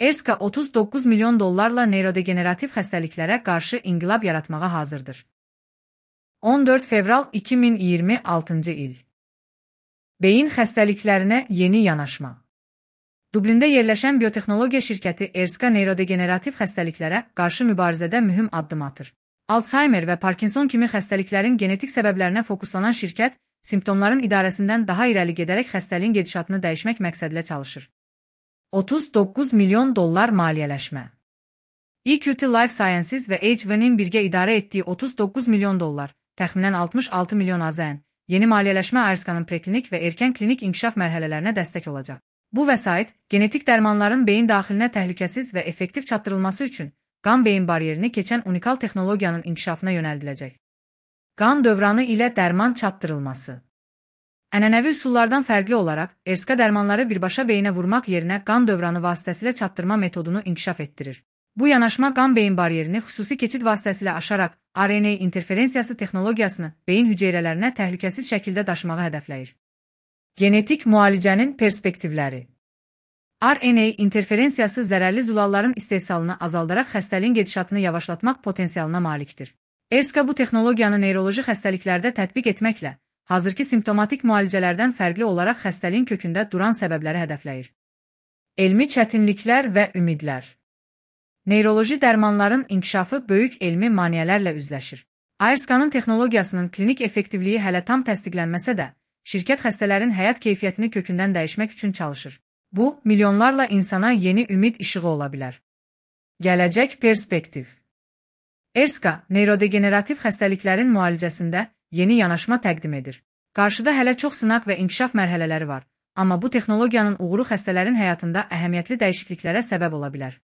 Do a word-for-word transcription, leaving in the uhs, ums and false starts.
Erska otuz doqquz milyon dollarla neyrodegenerativ xəstəliklərə qarşı inqilab yaratmağa hazırdır. on dörd fevral iki min iyirmi altıncı il. Beyin xəstəliklərinə yeni yanaşma. Dublində yerləşən biotexnologiya şirkəti Erska neyrodegenerativ xəstəliklərə qarşı mübarizədə mühüm addım atır. Alzheimer və Parkinson kimi xəstəliklərin genetik səbəblərinə fokuslanan şirkət, simptomların idarəsindən daha irəli gedərək xəstəliyin gedişatını dəyişmək məqsədilə çalışır. otuz doqquz milyon dollar maliyyələşmə. E Q T Life Sciences və H V-nin birgə idarə etdiyi otuz doqquz milyon dollar, təxminən altmış altı milyon A Z N, yeni maliyyələşmə Erskanın preklinik və erkən klinik inkişaf mərhələlərinə dəstək olacaq. Bu vəsait, genetik dərmanların beyin daxilinə təhlükəsiz və effektiv çatdırılması üçün qan-beyin bariyerini keçən unikal texnologiyanın inkişafına yönəldiləcək. Qan dövranı ilə dərman çatdırılması. Ənənəvi üsullardan fərqli olaraq, Erska dərmanları birbaşa beyinə vurmaq yerinə qan dövranı vasitəsilə çatdırma metodunu inkişaf etdirir. Bu yanaşma qan-beyin bariyerini xüsusi keçid vasitəsilə aşaraq R N A interferensiyası texnologiyasını beyin hüceyrələrinə təhlükəsiz şəkildə daşımağı hədəfləyir. Genetik müalicənin perspektivləri. R N A interferensiyası zərərli zulalların istehsalını azaldaraq xəstəliyin gedişatını yavaşlatmaq potensialına malikdir. Erska bu texnologiyanı neyroloji xəstəliklərdə tətbiq etməklə, hazırki simptomatik müalicələrdən fərqli olaraq xəstəliyin kökündə duran səbəbləri hədəfləyir. Elmi çətinliklər və ümidlər. Neyroloji dərmanların inkişafı böyük elmi maneələrlə üzləşir. Erskanın texnologiyasının klinik effektivliyi hələ tam təsdiqlənməsə də, şirkət xəstələrin həyat keyfiyyətini kökündən dəyişmək üçün çalışır. Bu, milyonlarla insana yeni ümid işığı ola bilər. Gələcək perspektiv. Erska, neyrodegenerativ xəstəliklərin müalicəsində yeni yanaşma təqdim edir. Qarşıda hələ çox sınaq və inkişaf mərhələləri var, amma bu texnologiyanın uğuru xəstələrin həyatında əhəmiyyətli dəyişikliklərə səbəb ola bilər.